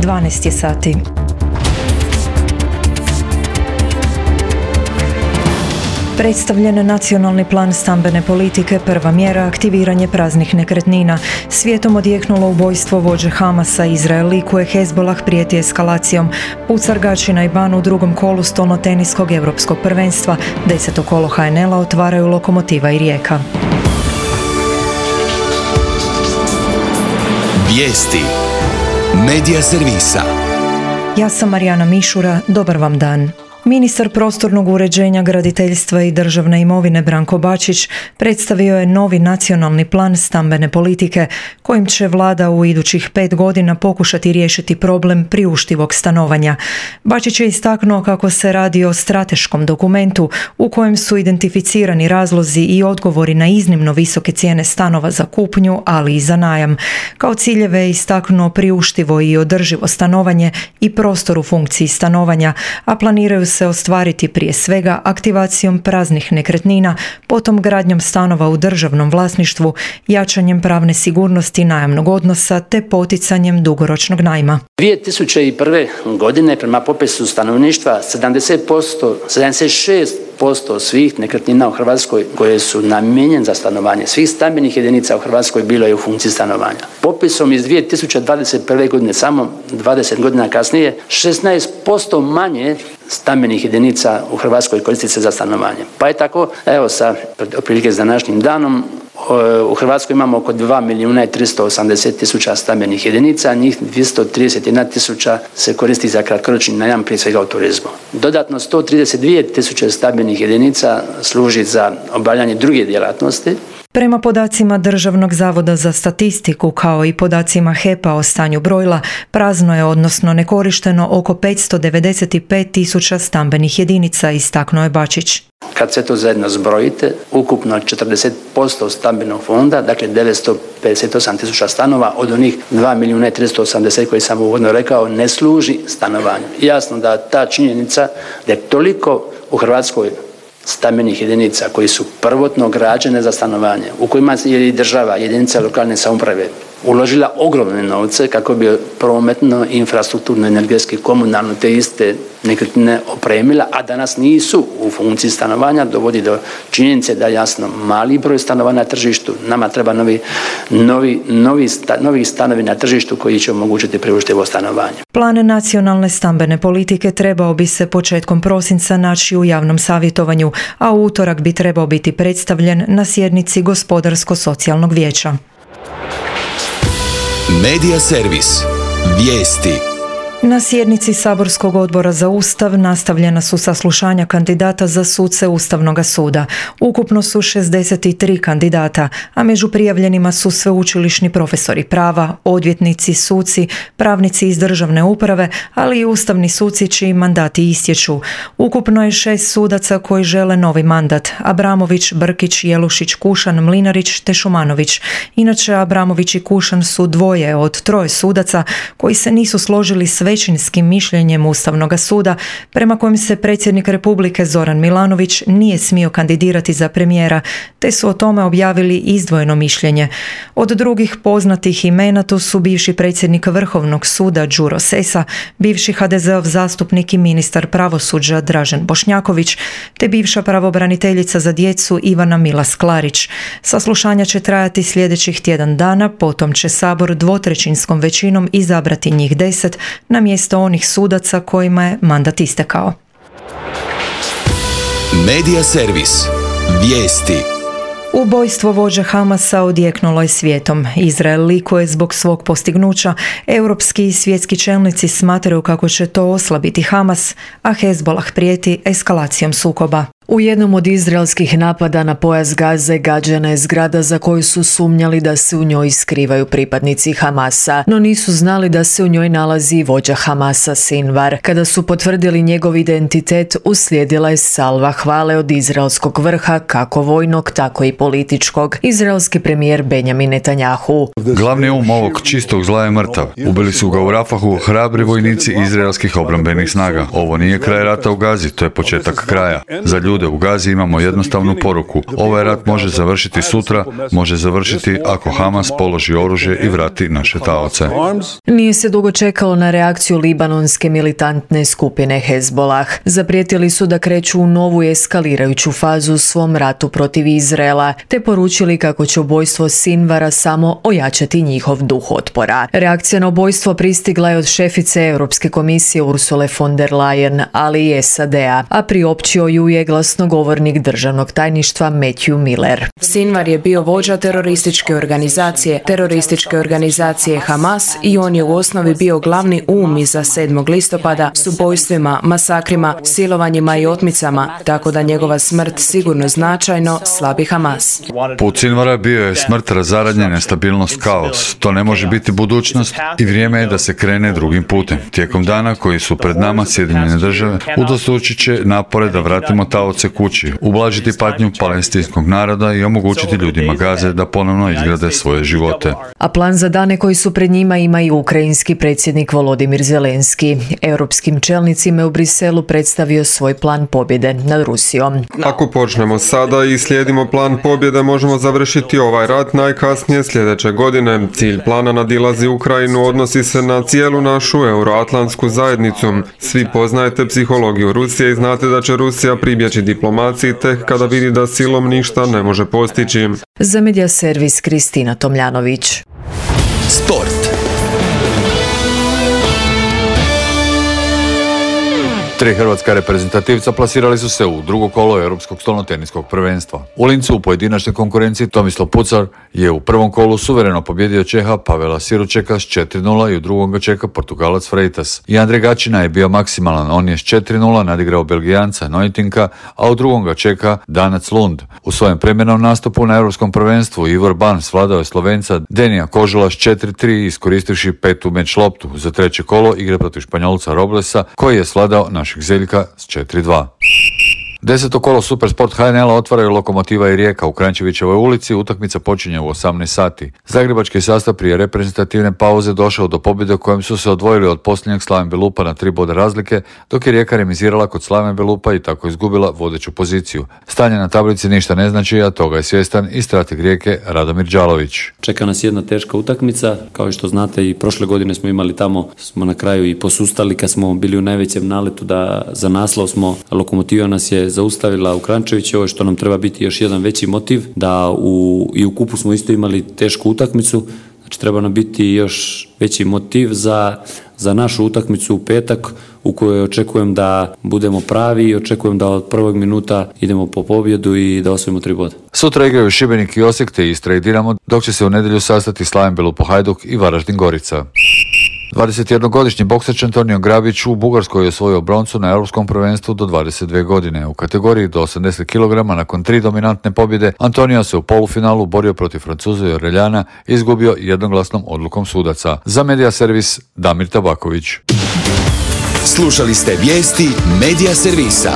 12 je sati. Predstavljen nacionalni plan stambene politike, prva mjera aktiviranje praznih nekretnina. Svijetom odjeknulo ubojstvo vođe Hamasa. Izrael likuje, Hezbollah prijeti eskalacijom. Pucargači na Ibanu u drugom kolu stolnoteniskog europskog prvenstva. 10. kolo HNL-a otvaraju Lokomotiva i Rijeka. Vijesti Medija servisa. Ja sam Marijana Mišura, dobar vam dan. Ministar prostornog uređenja, graditeljstva i državne imovine Branko Bačić predstavio je novi nacionalni plan stambene politike kojim će vlada u idućih 5 godina pokušati riješiti problem priuštivog stanovanja. Bačić je istaknuo kako se radi o strateškom dokumentu u kojem su identificirani razlozi i odgovori na iznimno visoke cijene stanova za kupnju, ali i za najam. Kao ciljeve je istaknuo priuštivo i održivo stanovanje i prostor u funkciji stanovanja, a planiraju se ostvariti prije svega aktivacijom praznih nekretnina, potom gradnjom stanova u državnom vlasništvu, jačanjem pravne sigurnosti najamnog odnosa te poticanjem dugoročnog najma. 2001. godine prema popisu stanovništva 76% svih nekretnina u Hrvatskoj koje su namijenjene za stanovanje, svih stambenih jedinica u Hrvatskoj bilo je u funkciji stanovanja. Popisom iz 2021. godine, samo 20 godina kasnije, 16% manje stambenih jedinica u Hrvatskoj koristi se za stanovanje. Pa je tako, evo sa otprilike s današnjim danom, u Hrvatskoj imamo oko 2.380.000 stambenih jedinica, njih 231.000 se koristi za kratkoročni najam, prije svega u turizmu. Dodatno 132.000 stambenih jedinica služi za obavljanje druge djelatnosti. Prema podacima Državnog zavoda za statistiku kao i podacima HEP-a o stanju brojila, prazno je odnosno nekorišteno oko 595.000 stambenih jedinica, istaknuo je Bačić. Kad sve to zajedno zbrojite, ukupno 40% stambenog fonda, dakle 958.000 stanova od onih 2.380.000 koji sam uvodno rekao, ne služi stanovanju. Jasno da ta činjenica da je toliko u Hrvatskoj stambenih jedinica koji su prvotno građene za stanovanje, u kojima je i država, jedinica lokalne samouprave uložila ogromne novce kako bi prometno, infrastrukturno, energetski, komunalno te iste nekretnine opremila, a danas nisu u funkciji stanovanja, dovodi do činjenice da jasno mali broj stanova na tržištu, nama treba novi stanovi na tržištu koji će omogućiti priuštivo stanovanje. Plan nacionalne stambene politike trebao bi se početkom prosinca naći u javnom savjetovanju, a u utorak bi trebao biti predstavljen na sjednici Gospodarsko-socijalnog vijeća. Medija servis. Vijesti. Na sjednici Saborskog odbora za Ustav nastavljena su saslušanja kandidata za suce Ustavnog suda. Ukupno su 63 kandidata, a među prijavljenima su sveučilišni profesori prava, odvjetnici, suci, pravnici iz državne uprave, ali i ustavni suci čiji mandati istječu. Ukupno je 6 sudaca koji žele novi mandat: Abramović, Brkić, Jelušić, Kušan, Mlinarić te Šumanović. Inače, Abramović i Kušan su dvoje od 3 sudaca koji se nisu složili s većinskim mišljenjem Ustavnog suda prema kojem se predsjednik Republike Zoran Milanović nije smio kandidirati za premijera, te su o tome objavili izdvojeno mišljenje. Od drugih poznatih imena tu su bivši predsjednik Vrhovnog suda Đuro Sesa, bivši HDZ-ov zastupnik i ministar pravosuđa Dražen Bošnjaković, te bivša pravobraniteljica za djecu Ivana Milas Klarić. Saslušanja će trajati sljedećih tjedan dana, potom će Sabor dvotrećinskom većinom izabrati njih 10 na mjesto onih sudaca kojima je mandat istekao. Medija servis. Vijesti. Ubojstvo vođa Hamasa odjeknulo je svijetom. Izrael likuje zbog svog postignuća. Europski i svjetski čelnici smatraju kako će to oslabiti Hamas, a Hezbollah prijeti eskalacijom sukoba. U jednom od izraelskih napada na pojas Gaze gađana je zgrada za koju su sumnjali da se u njoj skrivaju pripadnici Hamasa, no nisu znali da se u njoj nalazi i vođa Hamasa Sinvar. Kada su potvrdili njegov identitet, uslijedila je salva hvale od izraelskog vrha, kako vojnog, tako i političkog. Izraelski premijer Benjamin Netanjahu: Glavni ovog čistog zla je mrtav. Ubili su ga u Rafahu hrabri vojnici izraelskih obrambenih snaga. Ovo nije kraj rata u Gazi, to je početak kraja. Za ljude u Gazi imamo jednostavnu poruku. Ovaj rat može završiti sutra, može završiti ako Hamas položi oružje i vrati naše taoce. Nije se dugo čekalo na reakciju libanonske militantne skupine Hezbollah. Zaprijetili su da kreću u novu eskalirajuću fazu u svom ratu protiv Izraela, te poručili kako će ubojstvo Sinvara samo ojačati njihov duh otpora. Reakcija na ubojstvo pristigla je od šefice Europske komisije Ursule von der Leyen, ali i SAD-a, a priopćio ju je glasnogovornik državnog tajništva Matthew Miller. Sinvar je bio vođa terorističke organizacije Hamas i on je u osnovi bio glavni um iza 7. listopada s ubojstvima, masakrima, silovanjima i otmicama, tako da njegova smrt sigurno značajno slabi Hamas. Put Sinvara bio je smrt, razaranje, nestabilnost, kaos. To ne može biti budućnost i vrijeme je da se krene drugim putem. Tijekom dana koji su pred nama Sjedinjene države udvostručit će napore da vratimo taoce kući, ublažiti patnju palestinskog naroda i omogućiti ljudima Gaze da ponovno izgrade svoje živote. A plan za dane koji su pred njima ima i ukrajinski predsjednik Volodimir Zelenski. Europskim čelnicima je u Briselu predstavio svoj plan pobjede nad Rusijom. Ako počnemo sada i slijedimo plan pobjede, možemo završiti ovaj rat najkasnije sljedeće godine. Cilj plana nadilazi Ukrajinu, odnosi se na cijelu našu euroatlantsku zajednicu. Svi poznajete psihologiju Rusije i znate da će Rusija pribjeći diplomaciji tek kada vidi da silom ništa ne može postići. Za Media servis Kristina Tomljanović. Sport. Tri hrvatska reprezentativca plasirali su se u drugo kolo Europskog stolnoteniskog prvenstva. U Lincu u pojedinačnoj konkurenciji Tomislav Pucar je u prvom kolu suvereno pobjedio Čeha Pavela Siručeka s 4-0 i u drugom ga čeka Portugalac Freitas. I Andrej Gačina je bio maksimalan, on je s 4-0 nadigrao Belgijanca Neutinka, a u drugom ga čeka Danac Lund. U svojem premjernom nastupu na Europskom prvenstvu Ivor Ban svladao je Slovenca Denija Kožula s 4-3 iskoristivši petu meč loptu. Za treće kolo igre protiv Španjolca Roblesa koji je svladao našeg Zeljka s 4-2. 10. kolo Supersport HNL-a otvaraju Lokomotiva i Rijeka u Kranjčevićevoj ulici. Utakmica počinje u 18 sati. Zagrebački sastav prije reprezentativne pauze došao do pobjede u kojem su se odvojili od posljednjeg Slaven Belupa na 3 boda razlike, dok je Rijeka remizirala kod Slaven Belupa i tako izgubila vodeću poziciju. Stanje na tablici ništa ne znači, a toga je svjestan i strateg Rijeke Radomir Đalović. Čeka nas jedna teška utakmica. Kao što znate, i prošle godine smo imali tamo, smo na kraju i posustali kad smo bili u najvećem naletu da za naslov smo. Lokomotiva nas je zaustavila u Kranjčevićevoj, što nam treba biti još jedan veći motiv, da i u kupu smo isto imali tešku utakmicu, znači treba nam biti još veći motiv za našu utakmicu u petak, u kojoj očekujem da budemo pravi i očekujem da od prvog minuta idemo po pobjedu i da osvojimo 3 boda. Sutra igraju Šibenik i Osijek te Istra i Dinamo, dok će se u nedjelju sastati Slaven Belupo Hajduk i Varaždin Gorica. 21-godišnji boksač Antonio Grabić u Bugarskoj je osvojio broncu na Europskom prvenstvu do 22 godine. U kategoriji do 80 kg nakon 3 dominantne pobjede Antonio se u polufinalu borio protiv Francuza i Oreljana i izgubio jednoglasnom odlukom sudaca. Za Media servis Damir Tabaković. Slušali ste vijesti Media servisa.